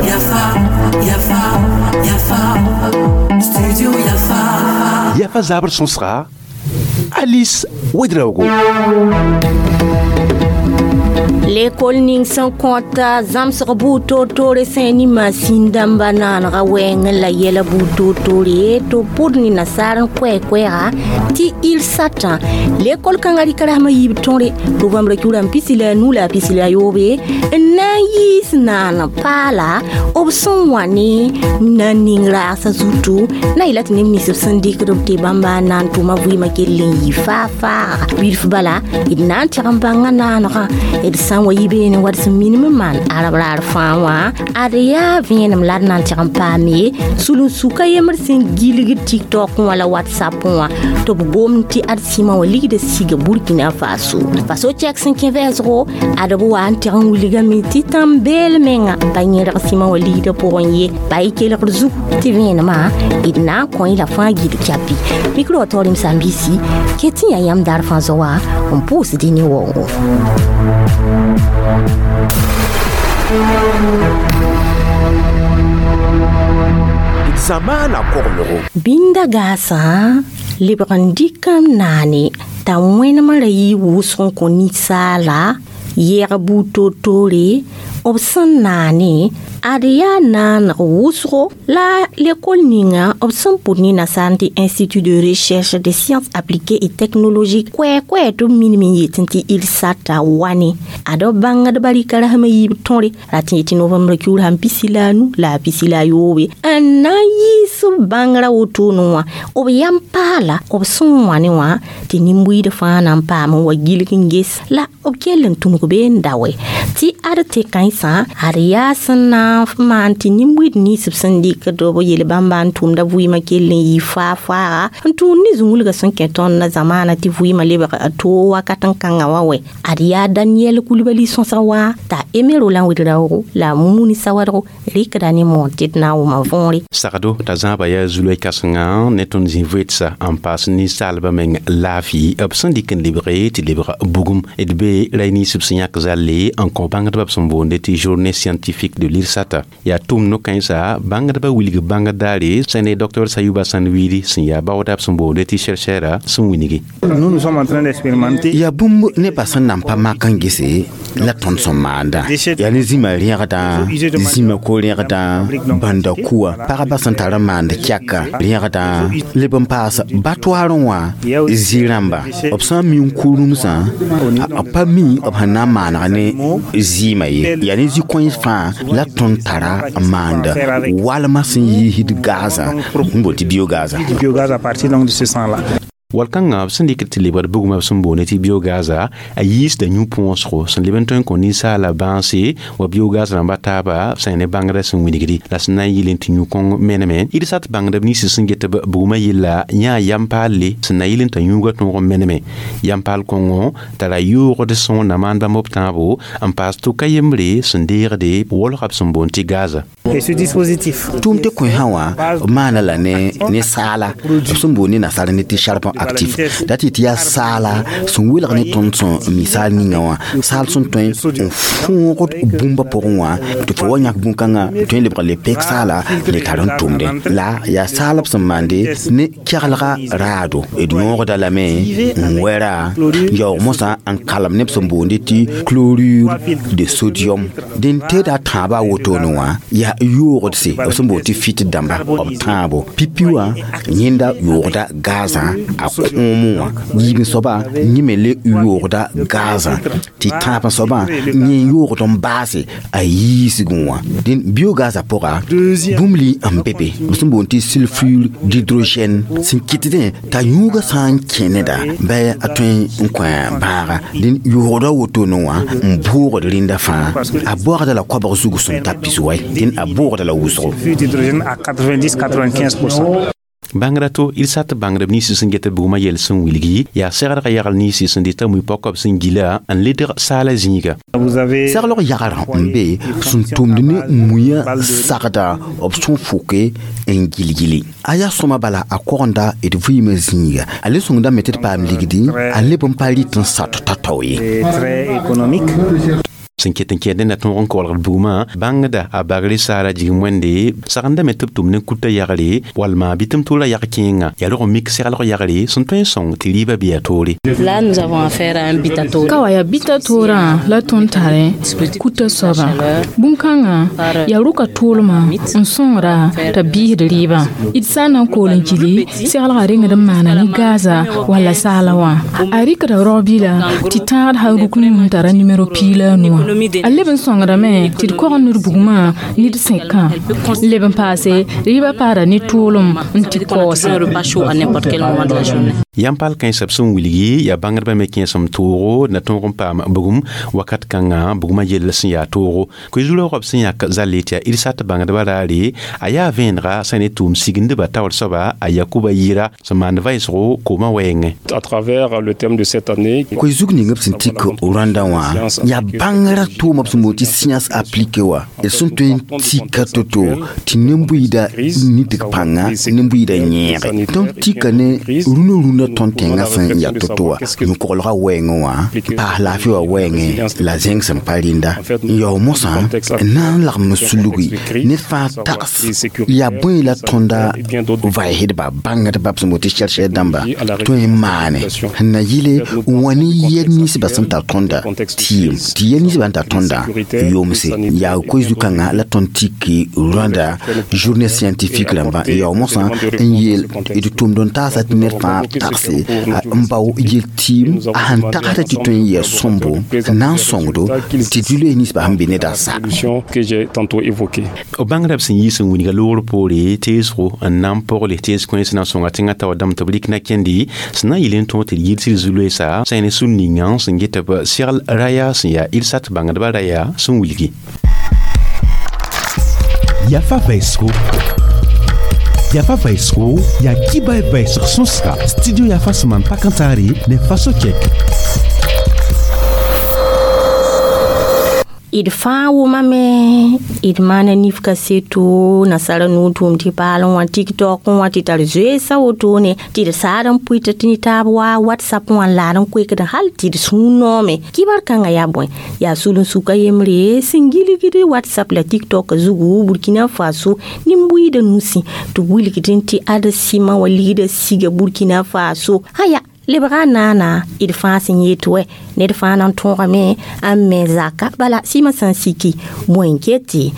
Yafa, Yafa, Yafa, Studio Yafa. Yafa zabr sõsga Alice Ouedraogo. Lekol ning sẽn kõta zãmsg buud toor-toore sẽn ne masin dãmba naanega wɛɛngẽ la yɛla buud toor-toore tɩ b pʋd ne nasaar n koɛɛ-koɛɛga tɩ il satã lekol kãngã rɩka rasmã yiib tõre novembr kiurã n pisi la a nu la a pisi la a yoobe n na n yiis naan paala b sẽn wã ne na n ning raagsã zutu na yela tɩ neb nins b sẽn dɩkd b tɩ bãmba n na n tʋma vɩɩmã kell n yɩ faa-faaga bilf bala d na n tɛg n bãnga naanegã d sã n wa yi beene wa d sẽn minim n maan arab raar fãa wã ad yaa vẽenem la d na n tɛg n paame sulun-sukã yembr sẽn gilgd tiktok wã la whatsapp wã tɩ b gomd tɩ ad sɩmã wã ligda siga burkina faso faso chɛk sẽn kẽ vɛɛsgo ad b wa n tɛg n wilgame tɩ tãn-beel menga pa yẽrg sɩmã wã ligda pʋgẽ ye pa y kelgd zugu tɩ vẽenemã d na n kõ-y la fãa gil kyapi mikro wa taoor sãn-biisi ket tɩ yaa yãmb daar fãa zoa n pʋʋsd y ne waoongo. Zamaana koglgo. Bĩnda gaasã lebg n dɩk n naane t'a wẽnemã ra yɩ wʋsg n kõ ninsaala yɛg buud toor-toore b sẽn naane ad yaa naaneg wʋsgo la lekol ninga b sẽn pʋd ne nasaar tɩ Institut de recherche des sciences appliquées et technologiques koɛɛ-koɛɛ tɩ b minim n yetẽ tɩ ilsata wane ad b bãngdbã rɩka rasmã yiib tõre rat n yetɩ novembre kiuur sãn pisi la a nu la a pisi la a yoobe n na n yiis b bãngrã wotone wã b yam paala b sẽn wã ne wã tɩ nin-buiid fãa na n paam n wa gilg n ges la b kell n tũnug bee n da wɛ tɩ ad tɩ kãensã ad yaa sẽn na n maan tɩ nin-buiid nins b sẽn dɩkd b yel bãmba n tʋmda vɩɩmã kell n yɩ faa-faaga n tũud ne zũnwilgã sẽn kẽ tõnd na zamaana tɩ vɩɩmã lebg a toog wakat n kãngã wã wɛ ad yaa Daniel Kulibali sõsg wa t'a Emero la n Ouedraogo la a Mumuni Sawadgo rɩkda ne moon tɩ d na n wʋma võore. Sagdo t'a zãaba yaa zulay kãsenga ne tõnd zĩ voetsa n paas ninsaalbã meng laafɩ b sẽn dɩk n lebge tɩ lebg bugum d be ray nins b sẽn yãk zalle n kõ bãngdbã b sẽn boonde tɩ journée scientifique de l'IRSAT yaa tʋʋm no-kãensa bãngdbã wilg bãngd daare sẽn ne Dr Sayuba Sãn-wiidi sẽn yaa baooda b sẽn boonde tɩ chercheur sẽn wilgi. Nous, nous sommes en train d'expérimenter. Yaa bũmb nebã sẽn nan pa mak n gese la tõnd sẽn maanda yaa ne zĩmã rẽgdã zĩmã ko-rẽgdã bãnda kuwa pagba sẽn tar n maand kɛka rẽgdã leb n paas batoarẽ wã zĩ-rãmba b sã n mi n ku-rũmsã b pa mi b sẽn na n maaneg ne zɩɩmã ye yaa ne zĩ-kõens fãa la tõnd tara n maand walmã sẽn yiisd gaazã n boond tɩ biogaza. Du biogaz à partir donc de ce sang-là. Wal-kãngã b sẽn dɩk tɩ lebgd bugmã b sẽn boonde tɩ biogaza a yiisda yũ-põosgo sẽn leb n tõe n kõ ninsaala bãanse wa biogaz rãmba taaba sẽn ne bãngrã sẽn wilgdi la sẽn na n yɩl n tɩ yũ-kõng meneme irsat bãngdb nins sẽn get b bugmã yella yãa yam paalle sẽn na yɩl n t'a yũugã tõog n meneme yam paal kõngo tara yoogd sõor na maan bãmb b tãabo n paas tʋka yembre sẽn deegde wolga b sẽn boond tɩ gaza. Et ce dispositif. Tʋʋm tɩ kõ sã wã b maana la ne saala b sẽn boond ne nasaar ne tɩ charbon actif dat tɩ yaa saala sẽn welg ne tõnd sẽn mi saal ninga wã saal sẽn tõe n fõogd bũmba pʋgẽ wã tɩ fo wa yãk bũn-kãngã tõe n lebg le pek saala le tar n tʋmde la yaa saal b sẽn maande ne kɛglga raado d yõogda lame n wɛra yaoog mosã n kalem neb sẽn boonde tɩ chlorure de sodium dẽn teeda tãabã a wotone wã yaa yoogdse b sẽn boond tɩ fit dãmba b tãabo pipi wã yẽnda yoogda gazã a kõomẽ wã yiib soaba yẽ me le yoogda gazã tɩ tãab soabã yẽ yoogd n baase a yiisgẽ wã dẽn biogazã pʋga bũmb li n be be b sẽn boond tɩ sulfure d'hydrogène sẽn kɩtdẽ t'a yũugã sã n kẽ neda bɩ a tõe n kõ bãaga dẽn yoogda wotone wã n bʋʋgd rẽnda fãa a baoogda la koabg zug sẽn ta pis wɛ dẽn a bʋʋgda la wʋsgo. Sulfure d'hydrogène à 90-95%. Bãngrã to d sat bãngdb ninsã sẽn get bugmã yɛl sẽn wilgi yaa segrgã yagl ninsã sẽn dɩta mui-paokb sẽn gila n ledg saala zĩiga. Seglg yagrã n be sẽn tʋmd ne muiã sagda b sẽn fʋke n gilgili a yaa sõma bala a kogenda d vɩɩmã zĩiga a le sõngdame tɩ d paam ligdi a leb n pa rɩt n sat tao-tao ye. Sẽn ket n kẽed na tõog n kolgd bugmã bãngda a bagre saara jigem wẽnde sagendame tɩ b tʋm ne kuta yagre walma bɩ tɩ m tʋʋla yag kẽenga yaa rog n mik seglg yagre sẽn tõe n sõng tɩ rɩɩbã bɩ a toore. Là, nous avons affaire à un bitato. Ka wa yaa bita toorã la tõnd tare kuta soabã bũn-kãngã yaa rʋka tʋʋlmã n sõngra t'a biisd rɩɩbã d sã n na n kool n gili seglgã rengd n maana ne gaza walla saala wã a rɩkda rao-bila tɩ tãagd hal ruk ne n tara nimero 15 wã a leb n sõngdame tɩ d kog ned bugmã ned sẽkã leb n paase rɩɩbã paada ne tʋʋlem n tɩ kaoose. Yãmb pal kãensã b sẽn wilgi yaa bãngdbã me kẽesem toogo na tõog n paam bugum wakat kãngã bugmã yell sẽn yaa toogo koe-zu-raoogã b sẽn yãk zalle tɩ yaa d sat bãngdbã raare a yaa vẽenega sã ne tʋʋm sigindbã taoor soaba a Yakuba yɩɩra sẽn maand vɩɩsgo koomã wɛɛngẽ. À travers le thème de cette année, koe-zug ning b sẽn tik Rwanda wã yaa bãngrã tʋʋma b sẽn boond tɩ science appliquée wã d sẽn tõe n tika to-to tɩ nin-buiida nidg pãnga nin-buiida yẽege tõnd tika ne rũnã rũnã tõnd tẽngã sẽn yaa to-to wã yũ-koglgã wɛɛngẽ wã n paas laafɩ wã wɛɛngẽ la zẽng sẽn pa rĩnda n yao mosã n na n lagem n sulgi ned fãa tags yaa bõe la tõnda vaɩsdba bãngdba b sẽn boond tɩ chercheur dãmba tõe n maane sẽn na yɩle n wa ne yɛl ninsbã sẽn tar tõnda tɩɩm tɩ yɛl ninsbã sẽn tar tõnda yomse yaa koe-zu-kãngã la tõnd tiki Rwanda journée scientifique rãmbã n yao mosã n yeel d tʋmd n taasa tɩ ned fãa tagse n bao yel tɩɩm a sẽn tagsda tɩ tõe n yɛɛ sõmbo n na n sõngdo tɩ dũ-loees ninsbã sẽn be neda sa. Que j'ai tantôt évoqué. B bãngda b sẽn yiis n wilga loogr poore teesgo n na n pogle tees kõens na n sõnga tẽngã taoor dãmb tɩ b rɩk na kẽndi sẽn na n yɩl n tõog tɩ d yɩl tɩ d zu-loeesa sã ne sũn ninga sẽn get b segl raya sẽn yaa d sat bãngdbã raya sẽn wilgi. Yafa vɛɛsgo yafa vɛɛsgo yaa kiba vɛɛsg sõsga studio yafa sẽn maan pak n taare ne faso kɛk. D fãa wʋmame d maana nif kaseto nasara nuu tʋʋm tɩ paal n wã tiktok n wã tɩ tar zoeesã wotone tɩ d saad n pʋɩt tɩ ne taab wa whatsapp wã n laad n koekd hal tɩ d sũur noome kibar kãngã yaa bõe yaa sul-n-suka yembre sẽn gilgd whatsapp la tiktok zugu Burkina Faso nin-buiidã nusi tɩ b wilgdẽ tɩ ad sɩma wã ligda siga Burkina Faso aya lebga naana d fãa sẽn yet wɛ ned fãa na n tõogame n me zaka bala sɩmã sã n siki bõe n ket tɩ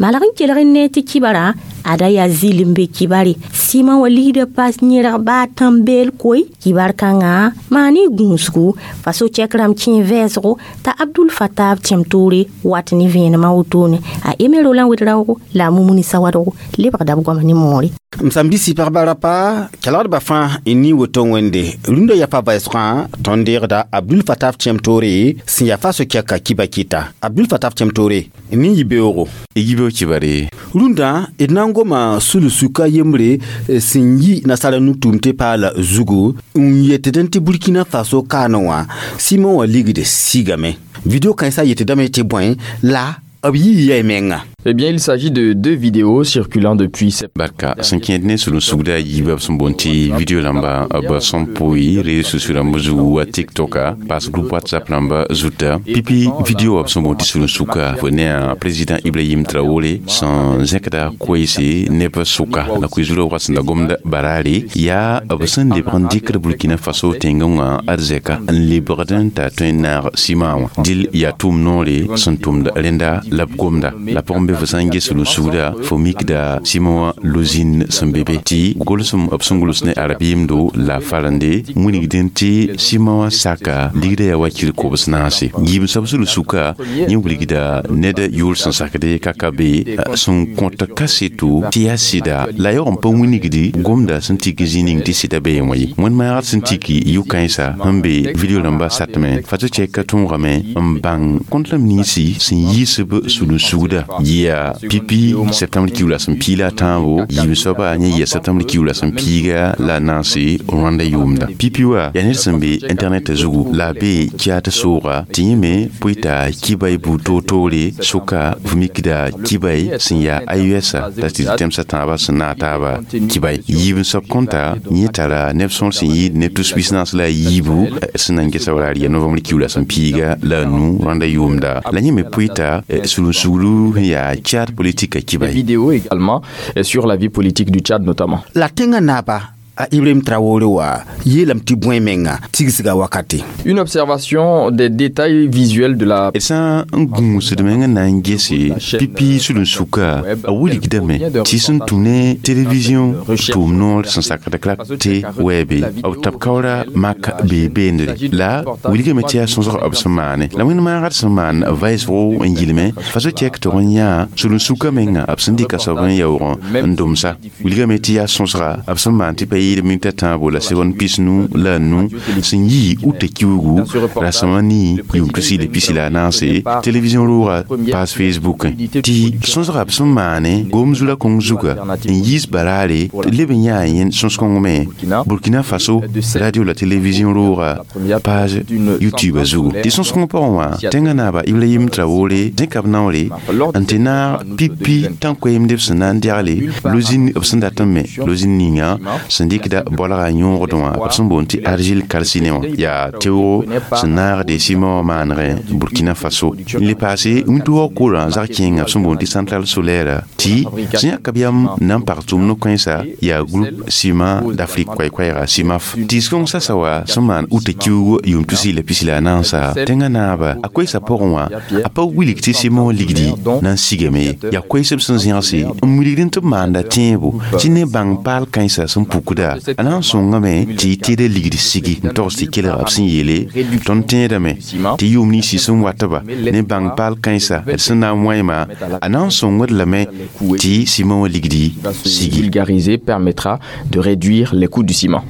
malg n kelg n ne tɩ kibara ada yaa zɩl n be kibare sɩmã wã ligda pas yẽrg baa tãn-beel koe kibar kãngã maan y gũusgu faso chɛk rãmb kẽ vɛɛsgo t'a Abdul Fatab tẽm toore wat ne vẽenemã wotone a Eme Roland Ouedraogo la a Mumuni Sawadogo lebgda b goama ne moore. M sãm-bisi pagba rapa kelgdbã fãa n ni woto wẽnde rũndã yafa vɛɛsgã tõnd deegda Abdul Fatab tẽm toore sẽn yaa fa so-kɛka kiba kɩta Abdul Fatab tẽm toore n nin yibeoogo. Yibeoog kibare. Rũndã d na n goma sul-suka yembre sẽn yi nasara nu-tʋʋm tɩ paala zugu n yetd tɩ Burkina Faso kaane wã sɩmã wã ligd sigame video kãensã yetdame tɩ bõe la b yii yɛɛ menga. Eh bien, il s'agit de deux vidéos circulant depuis septembre. Barka sẽn kẽed ne sul-n-sugda a yiibã b sẽn boond tɩ video rãmba b sẽn pʋɩ réseaux sociaux rãmb zugu wa tiktoka paas groupe whatsapp rãmba zuta pipi video wã b sẽn boond tɩ sul-n-suka fo ne a président Ibrahim Traoré sẽn zẽkda koeese neb sʋka la koe-zu-raoogã sẽn da gomd baraare yaa b sẽn lebg n dɩkd Burkina Faso tẽngẽ wã ad zɛka n lebgd n t'a tõe n naag sɩmã wã dɩl yaa tʋʋm noore sẽn tʋmd rẽnda la b gomda la pʋgẽ be fo sã n ges sul-n-sugda fo mikda sɩmã wã lozĩn sẽn be be tɩ golsem b sẽn gʋls ne arab yemdo la farende wilgdẽ tɩ sɩmã wã saka ligda yaa wakir kobs naase yiib soab sul-n-suka yẽ wilgda ned yʋʋr sẽn sakde kaka be sẽn kõt kaseto tɩ yaa sɩda la yaoog n pa wilgdi gomda sẽn tik zĩ ning tɩ sɩda be wã ye wẽnd-maagd sẽn tiki yʋ-kãensa sẽn be video rãmba satme fato chɛka tõogame n bãng kõntlam ninsi sẽn yiisb sul-n-sugda yɩ Yaa pipi septembre kiuug la sẽn piig la a tãabo, yiib soaba yẽ yɩa septembre kiuug la sẽn piiga la a naase Rwanda yʋʋmda. Pipi wa yaa ned sẽn be internet zugu la a be Tchad sooga tɩ yẽ me pʋɩ t'a kibay buud toor-toore sʋka f mikda kibay sẽn yaa AES la tɩ tẽmsã tãabã sẽn naag taaba kibay. Yiib n soab kõnta yẽ tara neb sõor sẽn yɩɩd neb tus pis-naas la a yiibu sẽn na n gesa wala yaa novembre kiuug la sẽn piiga la a nu Rwanda yʋʋmda. La yẽ me pʋɩ t'a sulun-suglu sẽn yaa Tchad politique kibay. Vidéo également sur la vie politique du Tchad notamment. La tẽngã naaba a Ibrahim Traoré wa yeelame tɩ bõe menga tigsga wakate. Une observation des détails visuels de la D sã n gũusd meng n na n gese pipi sulun-suka, a wilgdame tɩ sẽn tũ ne télévision tʋʋm noor sẽn sakd klak tɩ wɛɛbe b tab kaoora mak bee beendre, la wilgame tɩ yaa sõsg b sẽn maane. La wẽnd maagd sẽn maan vaɩsgo n yilme faso tɛk tɩg n yã sulun-suka menga b sẽn dɩka soab n yaoog n domsa, wilgame tɩ yaa sõsga b sẽn maan tɩ pa yɩɩd minta tãabo la segon pisnu la nu sẽn yi uta kiugu rasẽma ni yʋʋm tusi la pisi la a naase télévision rooga page Facebook tɩ sõsga b sẽn maane gom zula kõng zuga n yiis baraare leb n yaa yẽnd sõs-kõng me Burkina Faso radio la télévision rooga page YouTube zugu. Tɩ sõs-kõng pʋgẽ wã tẽngã naaba Ibrahim Traoré zẽka b naoore n tɩ naag pipi tãn-koeemd b sẽn na n dɛgle lozin b sẽn dat n me lozin ninga sẽn dɩkda bolga yõogd wã b sẽn boond tɩ argile calciné wã yaa teoogo sẽn naagde ciment wã maanegẽ Burkina Faso. N le paase wĩntoogã korã zag kẽenga b sẽn boond tɩ centrale solaire tɩ sẽn yãka b yam na n pag tʋʋm no-kãensã yaa groupe Ciment d'Afrique koɛɛ-koɛɛga CIMAF. Tɩɩs-kõng sasa wa sẽn maan uta kiuug yʋʋm tusi la pisi la a naasa tẽngã naaba a koeesã pʋgẽ wã a pa wilg tɩ ciment wã ligdi na n sigame ye, yaa koees b sẽn zẽgse n wilgd tɩ b maanda tẽebo tɩ ne bãng paal kãensã sẽn pukda a na n sõngame tɩ y tẽeda ligd sigi n togs tɩ kelga b sẽn yeele. Tõnd tẽedame tɩ yʋʋm ninsi sẽn watba ne bãng paal kãensã d sẽn na n wãema a na n sõngd lame tɩ ciment wã ligdi sigi. Vulgarisé permettra de réduire les coûts du ciment.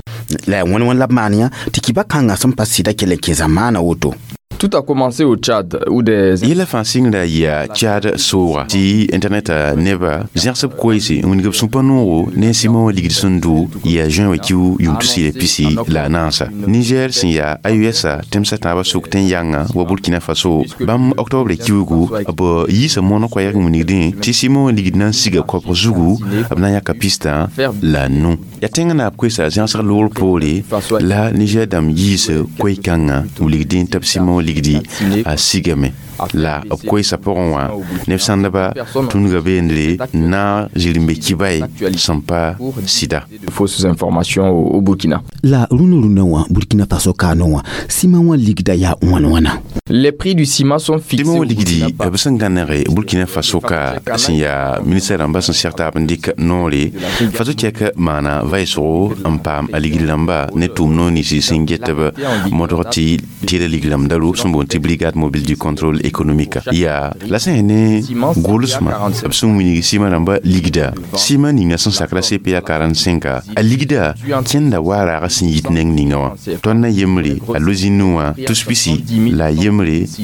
La wẽn wẽn la b maan yã tɩ kiba kãngã sẽn pa sɩda kell n kẽ zamaana woto. Tout a commencé au Tchad, où des Yɛla fãa sɩngda yaa Tchad sooga tɩ internet neba zẽgsb koeese n wilg b sũ-pa noogo ne ciment wã ligd sẽn do yaa juin wa kiu yʋʋm tusi la pisi la a naasa. Niger sẽn yaa AES tẽmsã tãabã sʋk tẽn-yãngã wa Burkina Faso, bãmb octobre kiugu b yiisa moon koɛɛg n wilgdẽ tɩ ciment wã ligd na n siga koabg zugu b na n yãka pistã la nu. Yaa tẽngã naab koeesa zẽgsg loogr poore la Niger dãmb yiis koe-kãngã wilgdẽ tɩ b ciment wã ligdi a sigame. La b koeesã pʋgẽ wã neb sãndba tũnuga beendre na zirẽmbe kibay sẽn pa sɩda. Fausses informations au Burkina. La rũnã rũnã wã Burkina Faso kaano wã ciment wã ligda yaa wãn wãna. Les prix du ciment sont fixés. Ciment wã ligdi b sẽn gãnege Burkina Faso ka sẽn yaa ministère rãmbã sẽn seg taab n dɩk noore faso tɛk maana vaɩsgo n paam a ligd rãmba ne tʋʋm noor ninsi sẽn get b modg tɩ tɩɩda ligd rãmb da ro sẽn boond tɩ brigade mobile du contrôle économique yaa la sẽn ne gʋlsmã b sẽn wilg ciment rãmba ligda. Ciment ninga sẽn sakra CPA 45 a ligda kẽnda wa raag sẽn yit neng ninga wã tõnd na yembre a lozin wã tus pisi la yembre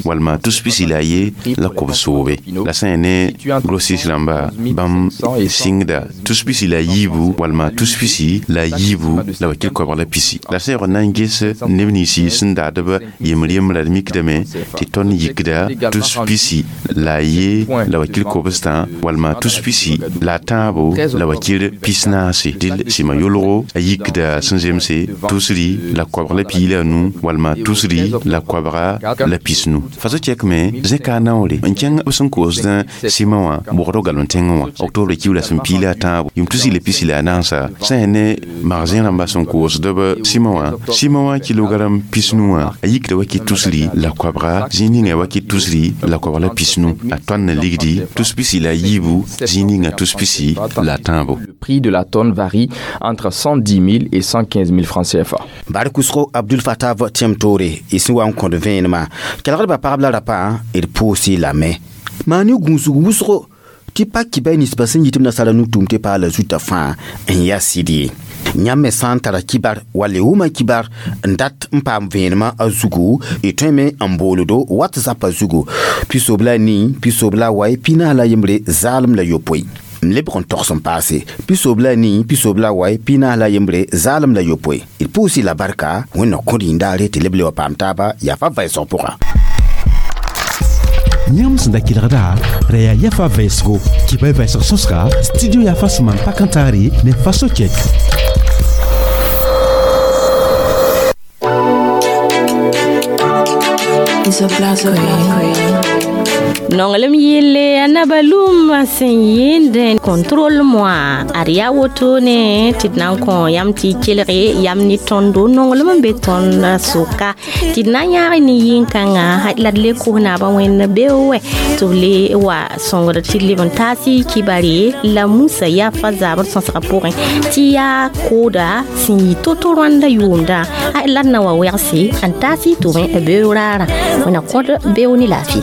walma tus pisi la ye la kob soobe. La sẽn ne grossiste rãmba bãmb sɩngda tus pisi la yiibu walma tus pisi la yiibu la wakil koabg la pisi. La sẽn yaool na n ges neb ninsi sẽn daadb yembr yembra d mikdame tɩ tõnd yikda tus pisi la ye la wakil kobstã walma tus pisi la tãabo la wakil pis naase. Dɩl sɩma yolgo a yikda sẽn zemse tusri la koabg la pii la nu walma tusri la koabga la pis nu. Faso tɛkme zẽka a naoore n kẽng b sẽn koosd ciment wã bogd galem tẽngẽ wã octobre kiu la sẽn pii la a tãabo yʋʋm tusi la pisi la a naasa sẽn ne magasin rãmbã sẽn koosd b ciment wã ciment wã kilogram pis nu wã a yikda wa kɩ tusri la koabga zĩig ninga wa kɩ tusri la koabg la pis nu a tõnd n ligdi tus pisi la yiibu zĩig ninga tus pisi la tãabo. Le prix de la tonne varie entre 110 000 et 115 000 francs CFA. Bar kʋsgo Abdul Fattah tẽm toore y sẽn wa n kõd vẽenemã kelgdbã pagb la rapa d pʋʋsɩ lame maan ne gũusg wʋsgo Tɩ pa kibay ninsbã sẽn yit b nasaara nu-tʋʋm tɩ paala zuta fãa n yaa sɩd ye. Yãmb me sã n tara kibar wall y wʋma kibar n dat n paam vẽenemã a zugu, y tõeme n booldo WhatsApp a zugu 94 94 01. M lebg n togs n paase 94 94 01. D pʋʋs-y la barka. Wẽnna kõd yĩndaare tɩ leb le wa paam taaba yafa vɛɛsg pʋga. Yãmb sẽn da kelgda ra yaa yafa vɛɛsgo kibay vɛɛsg sõsga studio yafa sẽn maan pak n taare ne faso kɛk. Nonglem yelle a naba lum sẽn yɩɩnd contrôle moi ad yaa woto ne tɩ d na n kõ yãmb tɩ y kelge yam ne tõndo nonglem n be tõnd sʋka tɩ d na n yãag ne yĩn-kãngã la d le kos naabã wẽnd beoowɛ tɩ b le wa sõngd tɩ d leb n taas y kibare la Musa yafa zabr sõsgã pʋgẽ tɩ yaa kooda sẽn yɩ to-to rãndã yʋʋmdã la d na wa wɛgse n taas y tʋbẽ beoog raarã wẽna kõd beo ne laafɩ.